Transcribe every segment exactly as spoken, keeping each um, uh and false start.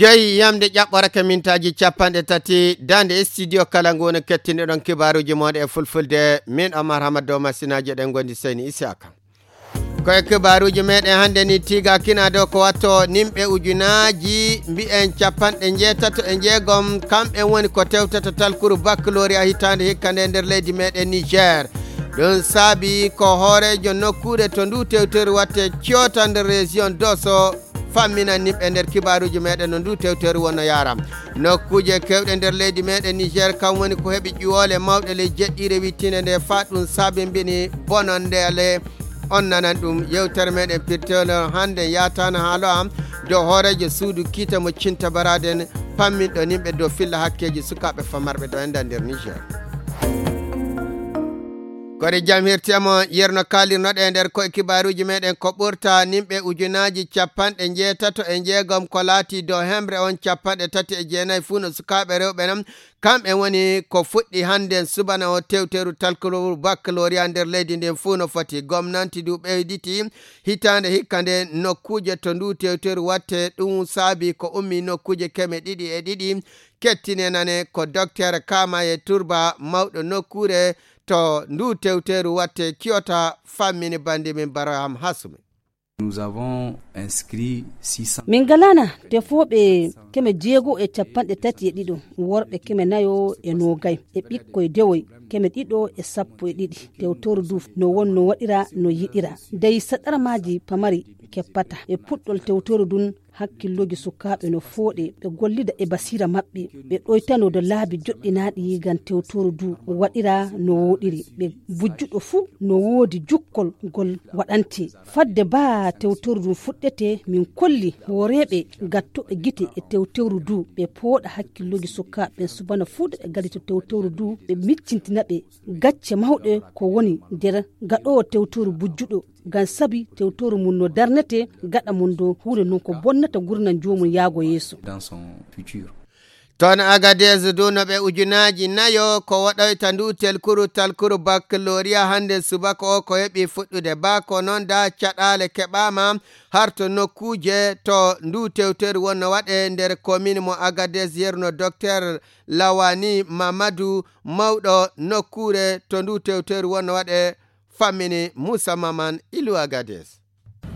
Jeyi yamde ƴaɓɓorake mintaaji capanɗe tati, daande studio kala ngu woni kettinɗo ɗon kibaaruuji mooɗon e fulfulde. Min Omar Hamad Dow Masinaaji, ɗen ngondi Seyni Isaka. Ko e kibaaruuji meɗen hannde ni, tiiga kina dow ko watto nimɓe ujunaaji mbi'en capanɗe njeetato e njeegom, kamɓe woni ko tewtata talkuru baccalauréat hitaande hikka nde nder leydi meɗen Niger. Ɗum saabi ko hooreejo nokkuure to ndu tewteru watte Kyota nder région Dosso famminan nimɓe nder kibaaruuji meɗen no ndu tewteru wonno yaara. Nokkuuje kewɗe nder leydi meɗen Niger kam woni ko heɓi ƴuwoole mawɗe ley jeɗɗiire wittinde nde faa ɗum sabimbini bonondeele. On nanan ɗum yewtere meɗen pirtewle hannde yaatana haalo am dow hooreejo suudu kiite mo Cinta Baraden, pamminɗo nimɓe dow filla hakkeeji sukaaɓe famarɓe ɗo enda nder Niger. Kori jam hirtemo yerno kaalirnoɗe nder koye kibaaruuji meɗen ko ɓurta nimɓe ujunaaji capanɗe njeetato e njeegom ko laati dow hemre on capanɗe tati e jeenayi fuu no sukaaɓe rewɓe non. Kamɓe woni ko fuɗɗi hannden subana o tewteru talkuru baccalauréat nder leydi ndin fuu no foti. Gomnanti du ɓeyditi hitaande hikka nde nokkuuje to ndu tewteru watte. Ɗum saabi ko ummi nokkuuje keme ɗiɗi e ɗiɗi. Kettinenane ko Docteur Kamaye Turba, mawɗo nokkuure to ndu tewteru watte Kyota, fammini bandi min Baraham Hasumi. Nous avons inscrit six cents. Min ngalana tefooɓe keme jeego e capanɗe tati e ɗiɗo, worɓe keme nayo e noogay, e ɓikkoy dewoy keme ɗiɗo e sappo e ɗiɗi. Tewtoru du no wonno waɗira no yiɗira. Dey saɗarmaaji pamari keppata. E puɗɗol tewtoru dun, hakkillooji sukaaɓe no fooɗe, ɓe gollida e basiira maɓɓe, ɓe ɗoytano do laabi joɗɗinaaɗi ngam tewtoru du waɗira no wooɗiri. Ɓe bujjuɗo fuu no woodi jukkol ngol waɗante. Fadde baa tewtoru ndun fuɗɗete, min kolli hooreeɓe gattuɓe gite e tewtoru du, ɓe pooɗa hakkillooji sukaaɓe ɓen subana fuu de ɓe ngalito tewtoru du, ɓe miccintina ɓe gacce mawɗe ko woni nder gaɗoowo tewtoru bujjuɗo, ngam sabi tewtoru mun no darnete gaɗa mun dow huunde non ko bonnata gurdam joomum yaago yeeso. Dans son futur. Toon Agadez du no ɓe ujunaaji nayo ko waɗoyta ndu telkuru talkuru baccalauréat hannde subaka o ko heɓi fuɗɗude. Baa ko noon da caɗaale keɓaama har to nokkuuje to ndu tewteru wonno waɗe nder commune mo Agadez, yerno Docteur Lawani Mamadou, mawɗo nokkuure to ndu tewteru wonno waɗe, fammini Moussa Maman Ilu Agadez.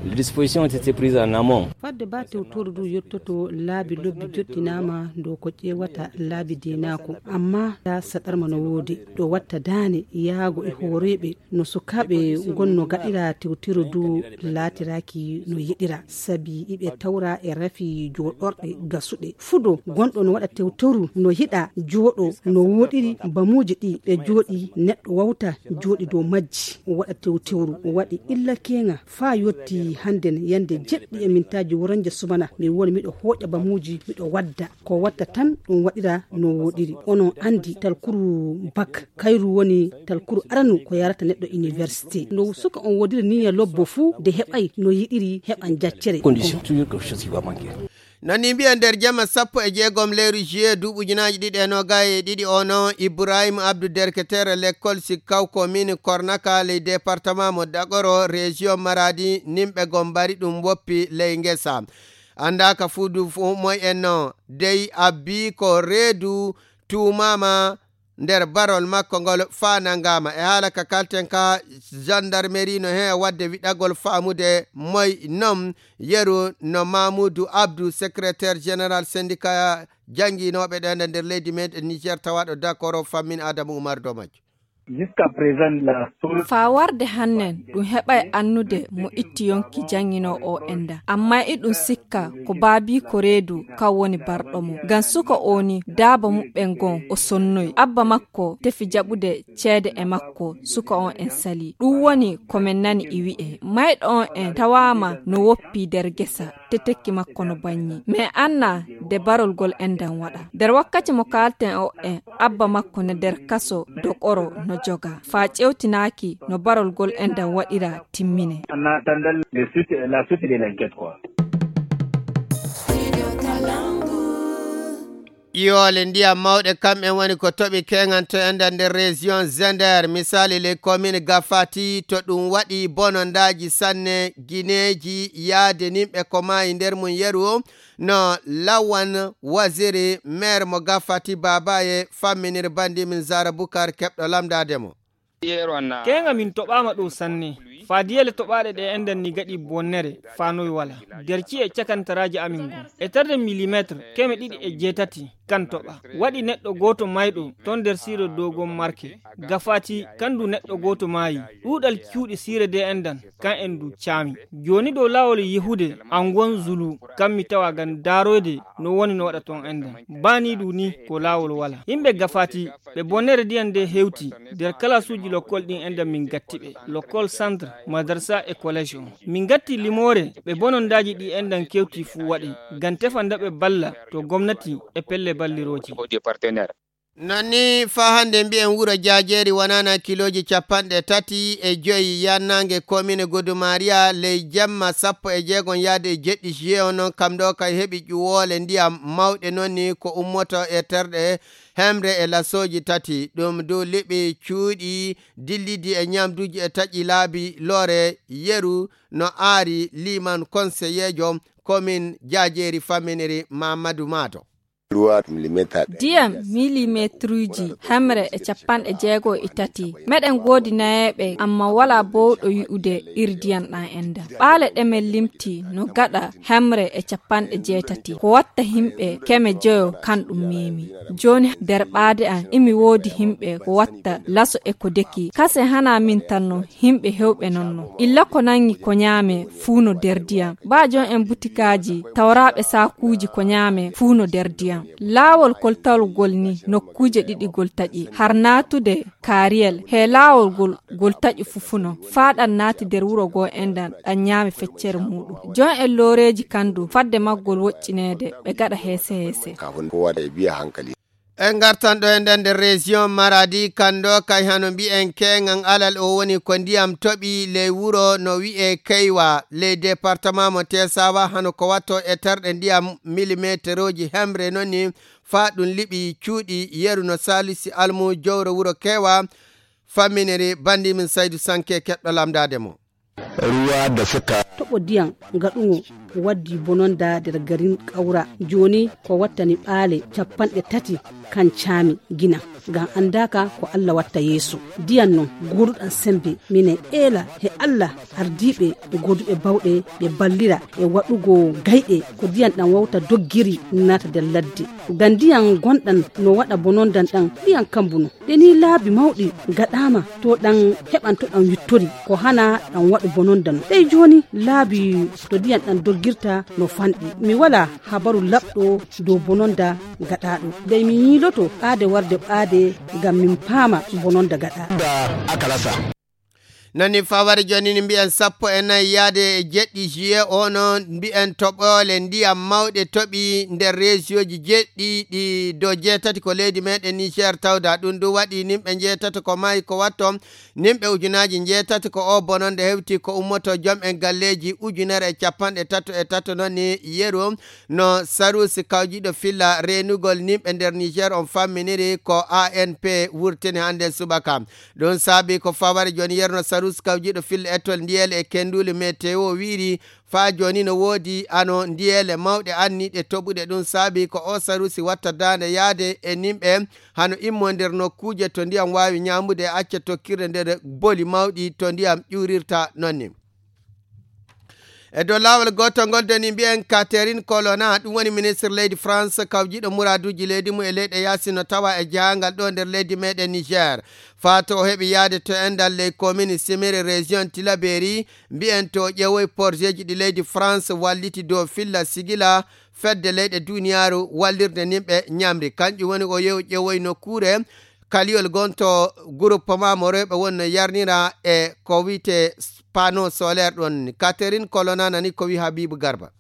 Les dispositions ont été prises en amont. Fadde ba tewtoru du yottoto laabi lobbi joɗɗinaama dow ko ƴeewata laabi diinaako, amma da saɗarma no woodi ɗo watta daane yaago e hooreeɓe no sukaaɓe ngonno gaɗira tewtoru du laatiraaki no yiɗira, sabi iɓe tawra e rafi jooɗorɗe gasuɗe. Fudo gonɗo no waɗa tewtoru no yiɗa jooɗo no wooɗiri bamuuji ɗi ɓe jooɗi neɗɗo wawta jooɗi dow majji waɗa tewtoru waɗi illa keŋa faa yotti hannden yande jeɗɗi e mintaaji woranje subana mi woni miɗo hooƴa bamuuji miɗo wadda ko watta tan ɗum waɗira no wooɗiri. Onon anndi talkuru bak kayru woni talkuru aranu ko yarata neɗɗo université. No suka on woodiri niya lobbo fuu de heɓay no yiɗiri heɓan jaccere. Condition toujours quelque chose qui va manquer. Nani mbiya nder jama sappo e jeegom lewru juillet duuɓi ujunaaji ɗiɗi e noogay e ɗiɗi o no Ibrahim Abdou derketeere lekkol sikkaw ko min kornaka ley département mo Dagoro région Maradi nimɓe gom mbari ɗum woppi ley ngesa. Anndaaka fuu du fuu moy en no dey abbi ko reedu tuumaama nder barol makko ngol faa nanngaama. E haala ka kalten ka, gendarmerie no hee waɗde wiɗagol faamude moy non yeru no Mamoudou Abdou, secrétaire général syndicat jannginooɓe ɗen e nder leydi men e Niger tawaaɗo Dakoro fammin Adama Oumar Domadio. Jusqu'à présent, la seule faa warde hannen ɗum heɓay annude mo itti yonki jannginoo o enda. Amma iɗum sikka ko baabiiko reedu kan woni barɗo mo. Ngam suka o ni daaba muɓɓen gon o sonnoyi. Abba makko tefi jaɓude ceede e makko, suka on en sali. Ɗum woni ko men nani e wi'e. Mayɗo on en tawaama no woppi nder gesa, tetekki makko no bannyi. Men anna nde barol gol endan waɗa. Nder wakkati mo kaalten o en, abba makko no nder kaso Dokoro no joga. Faa ƴewtinaaki no barol gol endan waɗira timmine. En attendant le suite, la suite de l'enquête, quoi. Ƴiwoole ndiyam mawɗe kamɓen woni ko toɓi keŋan to enda nder région Zender, misali ley commune Gafati, to ɗum waɗi bonondaaji sanne, gineeji, yaade nimɓe ko maayi nder mum yeru o, no Lawan Waziri, maire mo Gafati Babaye, famminiri bandi min Zara Bukar keɓɗo lamndaade mo. Keeŋa min toɓaama ɗo sanne. Faa diyele toɓaaɗe ɗe enɗan ni gaɗi bonnere faa noy wala. Nder ci'e cakantaraaji amin ngon. E tarde milimeetre keme ɗiɗi e jeetati kan toɓa. Waɗi neɗɗo gooto mayɗo ton nder siire dogon marke. Gafaati kan du neɗɗo gooto maayi. Ɗuuɗal cuuɗi siire de enɗan kan en du caami. Jooni dow laawol yehude angon Zulu kan mi tawa ngam daaroyde no woni no waɗa ton enɗan. Baa ni du ni ko laawol wala. Yimɓe Gafaati ɓe bonnere ndiyam nde hewti nder kalaasuuji lokkol ɗin enɗan min gatti ɓe. Lokkol centre, madarsa e collège on. Min gatti limoore ɓe bonondaaji ɗi enɗan kewti fuu waɗi. Ngam tefa nda ɓe balla to gomnati e pelle ballirooji. Non ni faa hannde mbi'en wuro Jaajeeri wonana kilooji capanɗe tati e joyi yannaange komine Godumariya ley jemma sappo e jeegom yaade e jeɗɗi juillet on, non kam ɗo kay heɓi ƴuwoole ndiyam mawɗe non ni ko ummoto e terɗe hemre e lasooji tati. Ɗum du liɓi cuuɗi dillidi e ñamduuji e taƴi laabi loore yeru no aari liman konseyeejo komin Jaajeeri famminiri Mamadou Mato. Ndiyam milimetruuji hemre e capanɗe jeego e tati. Meɗen goodi nayeeɓe, amma walaa boowɗo yi'ude iri ndiyam ɗam enda. Ɓaale ɗe men limti no gaɗa hemre e capanɗe jeetati. Ko watta himɓe keme joyo kan ɗum meemi. Jooni nder ɓaade am imi woodi himɓe ko watta laso e ko deki. Kase hana min tan no himɓe hewɓe non no. Illa ko nangi ko ñaame fuu no nder ndiyam. Baa jon en butikaaji tawraaɓe saakuuji ko ñaame fuu no nder ndiyam. Laawol koltawol gol ni nokkuuje ɗiɗi gol taƴi. Har naatude kaariyel he laawol gol, gol taƴi fufuno. Faa ɗan naati nder wuro goo enɗan ɗan ñaami feccere muuɗum. Jon en looreeji kan du fadde maggol woƴƴineede ɓe gaɗa heese heese. En ngartan ɗo e nder, nder région Maradi, kan ɗo kay hano mbi'en keeŋan alal o woni ko ndiyam toɓi ley wuro no wi'e Keywa, ley département mo Tesawa, hano ko watto e terɗe ndiyam milimeterooji hemre non ni faa ɗum liɓi cuuɗi yeru no Salisu Almu jowro wuro Keywa, famminiri bandi min Saydu Sanke keɓɗo lamndaade mo. Ruwa da suka. Toɓo ndiyam ngaɗuŋo waddi bononda nder garin Kawra. Jooni ko wattani ɓaale capanɗe tati kan caami gina. Ngam anndaaka ko Allah watta yeeso. Ndiyam non gooduɗam sembe. Minen eela he Allah ardiiɓe e gooduɓe bawɗe ɓe ballira e waɗugo gayɗe ko ndiyam ɗam wawta doggiri naata nder ladde. Ngam ndiyam gonɗam no waɗa bononda ɗam, ndiyam kambu non. Ɗe ni laabi mawɗi gaɗaama to ɗam heɓan to ɗam wittori ko hana ɗam waɗu bononda non. Ɗey jooni laabi to ndiyam ɗam doggirta no fanɗi. Mi walaa habaru laɓɗo dow bononda gaɗaaɗo. Dey mi yiiloto ɓaade warde ɓaade ngam min paama bononda gaɗaaɗo. Nani fawari jooni ni mbi'en sappo e nayi yaade e jeɗɗi juillet o no mbi'en toɓoole ndiyam mawɗe toɓi nder reesiyooji jeɗɗi ɗi dow jeetati ko leydi meɗen Niger tawda. Ɗum du waɗi nimɓe njeetati ko maayi ko watto nimɓe ujunaaji njeetati ko o bononde hewti ko ummoto jom en galleeji ujunere e capanɗe tato e tato non ni yeru no sarusi kawjiɗo filla reenugol nimɓe nder Niger on famminiri ko A N P wurtini hannde subaka. Ɗum saabi ko fawari jooni yerno sarusi kawjiɗo filla ettol ndiyel e kenduli meteo wiiri faa jooni no woodi ano ndiyele mawɗe anniɗe toɓuɗe. Ɗum saabi ko o sarusi watta daande yaade e nimɓe hano immo nder nokkuuje to ndiyam waawi ñaamude e acca tokkirde nder boli mawɗi to ndiyam ƴuurirta non ni. E dow laawol gootol ngol doni mbiyen Catherine Colonna, ɗum woni ministre leydi France kawjiɗo muraaduuji leydi mum e leyɗe yaasi no tawa e jahangal ɗo nder leydi meɗen Niger. Faa to o heɓi yaade to endal ley commune Simiri région Tilaberi, mbiyen to o ƴeewoy porjeeji ɗi leydi France walliti dow filla sigila fedde leyɗe duniyaaru wallirde nimɓe ñamri. Kanƴum woni o yew ƴeewoy nokkuure kaliyol gonto groupement mo rewɓe woni no yarnira e ko wiyte panneau solaire ɗon. Catherine Colonna nani ko wi Habibu Garba.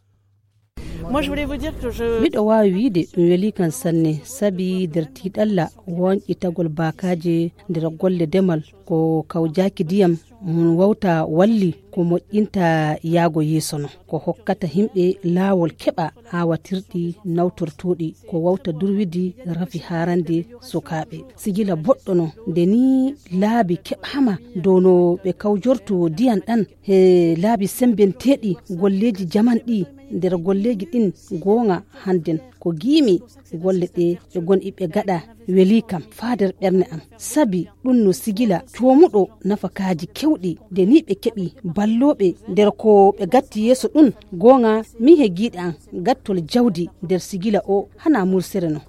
Miɗo waawi wiide ɗum welii kan sanne, sabi nder tiiɗalla woñƴitagol baakaaje nder golle demal ko kawjaaki ndiyam Mun wawta walli ko moƴƴinta yaago yeeso non, ko hokkata himɓe laawol keɓa aawatirɗi nawtortooɗi, ko wawta durwidi rafi haarande sukaaɓe. Sigila boɗɗo non, nde ni laabi keɓaama dow no ɓe kawjorto diyan ɗan he laabi sembenteeɗi golleeji jaman ɗi nder golleeji ɗin goonga hannden. Ko giimi golle ɗe ɓe gon iɓe gaɗa weli kam faa nder ɓerne am. Sabi ɗun no sigila coomuɗo nafakaaji kewɗi nde ni ɓe keɓi ballooɓe nder ko ɓe gatti yeeso ɗun. Goonga min he giiɗe am gattol jawdi nder sigila o hana mursere non.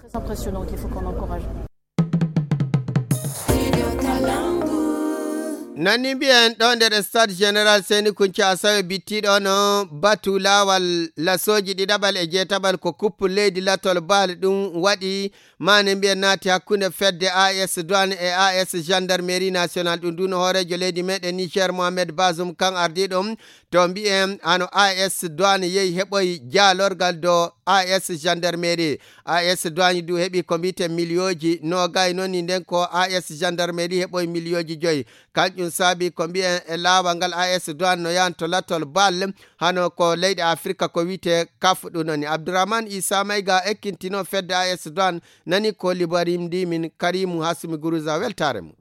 Nani mbiyen ɗo nder stade général seni kunci asawe bittiɗo no batu lawal lasoji ɗiɗaɓal e jeetaɓal ko kuppu leydi latol baali ɗum waɗi. Mane mbiyen naati hakkunde fedde as douane e as gendarmerie national ɗum ndu no hoorejo leydi meɗen niger mohamed bazum kan ardiɗum. To mbiyen hano as douane yehi heɓoyi jaalorgal do as gendarmerie. As douane du heɓi ko mbiyeten miliyoji nogayi noon ni nden ko as gendarmerie heɓoyi miliyoji joyi. Kanƴum saabi ko mbiyen e laawal ngal as douane no yahan to latol bal hano ko leyɗe afrika ko wiyte kaf ɗum noon ni abdourahmane isa mayga ekkintino fedde as douane. Nani ko libarimdi min karimu hasumi guruza weltare mum.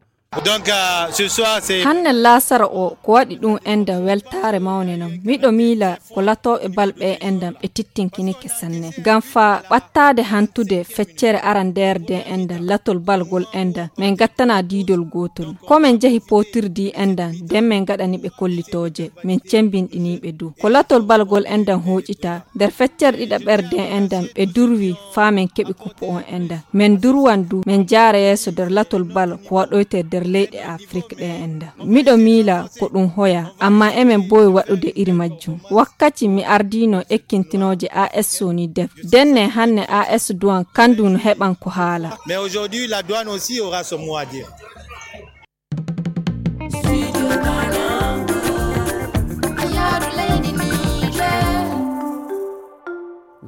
Donc, euh, ce soir, c'est... Hanne laasara o ko waɗi ɗum enda weltaare mawne non. Miɗo miila ko latooɓe bal ɓe endan ɓe tittinkinike sanne. Ngam faa ɓattaade hantude feccere arandeere de endan latol balgol endan, min ngattana diidol gootol. Ko min njehi pootirdi endan, nden min ngaɗani ɓe kollitooje, min cembinɗini ɓe du. Ko latol balgol endan hooƴita, nder feccere ɗiɗaɓerde endan ɓe durwi faa min keɓi kuppu on endan. Min durwan du, min jaara yeeso nder latol bal ko waɗoyte nder leyɗe Afrik ɗe endan. Miɗo miila ko ɗum hoya, amma emin mboowi waɗude iri majjum. Wakkati mi ardiino ekkintinooje A S Sony Def, denne hanne A S Duwan kandu no heɓan ko haala. Mais aujourd'hui, la douane aussi aura son mot à dire.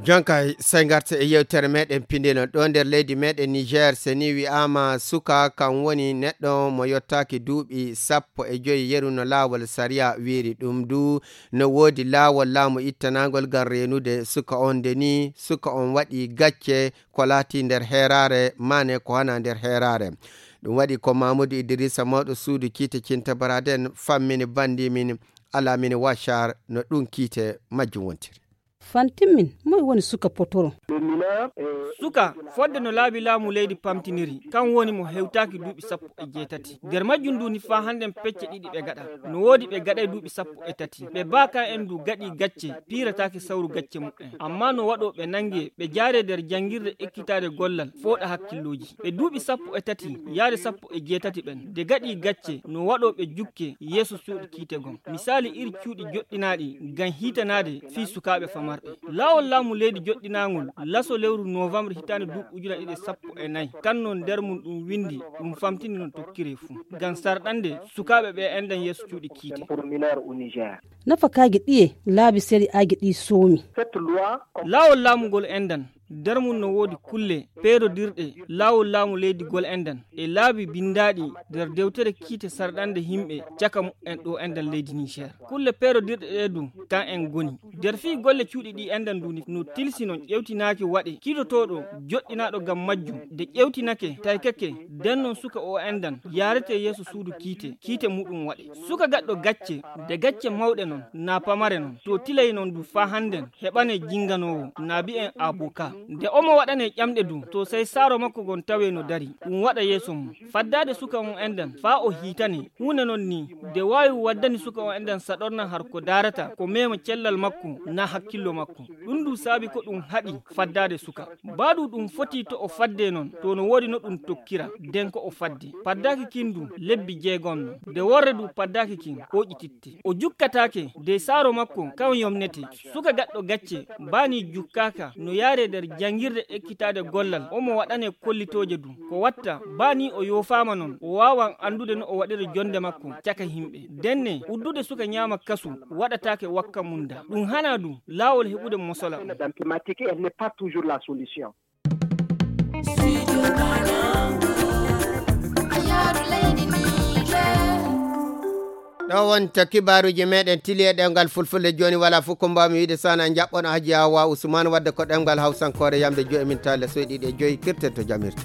Jonkay sey ngarta e yewtere meɗen pindino ɗo nder leydi meɗen niger. Seni wi'ama suka kan woni neɗɗo mo yottaaki duuɓi sappo e joyi yeru no laawol sariya wiiri ɗum du. No woodi laawol laamu ittanagol ngam reenude suka on nde ni suka on waɗi gacce ko laati nder heeraare maane ko hana nder heeraare. Ɗum waɗi ko mamudu idrissa mawɗo suudu kiite cinta baraden fammini bandi min alamini washar no ɗum kiite majjum wontiri. Fantimmin moy woni suka potoro? Suka fodde no laabi laamu leydi pamtiniri kan woni mo hewtaaki duuɓi sappo e jeetati nder majjum nduni faa hannden pecce ɗiɗi ɓe gaɗa. No woodi ɓe gaɗay duuɓi sappo e tati ɓe baakan en ndu gaɗi gacce piirataake sawru gacce muɓɓen amma no waɗo ɓe nange ɓe jaare nder janngirde ekkitaade gollal fooɗa hakkillooji ɓe duuɓi sappo e tati yaade sappo e jeetati ɓen de gaɗi gacce no waɗo ɓe jukke yeeso cuuɗi kiite gon misaali iri cuuɗi joɗɗinaaɗi ngam hiitanaade fii sukaaɓe famarɓe. Laawol laamu leydi joɗɗinaangol laso lewru novembre hitaande duuɓi ujuna ɗiɗi e sappo e nayi kan non nder mum ɗum winndi ɗum famtini no tokkiree fuu ngam sarɗande sukaaɓe ɓe enɗan yeeso cuuɗi kiite. Nafakaaji ɗiye laabi sari'aaji ɗi soomi? Laawol laamu ngol enɗan nder mum no woodi kulle peerodirɗe laawol laamu leydi gol enɗan e laabi binndaaɗi nder dewtere kiite sarɗande yimɓe caka muɓɓen ɗo enɗan leydi niger. Kulle peerodirɗe ɗe du kan en ngoni nder fii golle cuuɗi ɗi enɗan nduni no tilsi non ƴewtinaaki waɗe kiitotooɗo joɗɗinaaɗo ngam majjum de ƴewtinake taykake. Nden non suka o enɗan yaarete yeeso suudu kiite kiite muɗum waɗe suka gaɗɗo gacce de gacce mawɗe non na pamare non to tilay non du faa hannden heɓane jinganoowo na bi'en aboka nde omo waɗane ƴamɗe du to sey saaro makko gon tawe no dari ɗum waɗa yeeso mum. Faddaade suka on enɗan faa o hiitane huunde non ni de waawi waddani suka on enɗan saɗorna har ko daarata ko meema cellal makko na hakkillo makko. Ɗum du saabi ko ɗum haɗi faddaade suka. Baadu ɗum foti to o fadde non to no woodi no ɗum tokkira nden ko o fadde. Paddaaki kin du lebbi jeegom non de worre du paddaaki kin hooƴititte o jukkataake de saaro makko kan yomnete. Suka gaɗɗo gacce baani jukkaaka no yaare nder janngirde ekkitaade gollal omo waɗane kollitooje du ko watta baani o yoofaama non o waawan anndude no o waɗira jonnde makko caka yimɓe. Denne uddude suka ñaama kasu waɗataake wakka mum da ɗum hana du laawol heɓude mosola. Dans thématique elle n'est pas toujours la solution. Ɗo wonta kibaaruuji meɗen tili e ɗemngal fulfulde. Jooni wala fof ko mbaawmi wiide sana jaɓɓono Haji Awa Usman wadde ko ɗemngal hawsankoore yamde joyi min tale soyɗiɗi e joyi kirten to jamirte.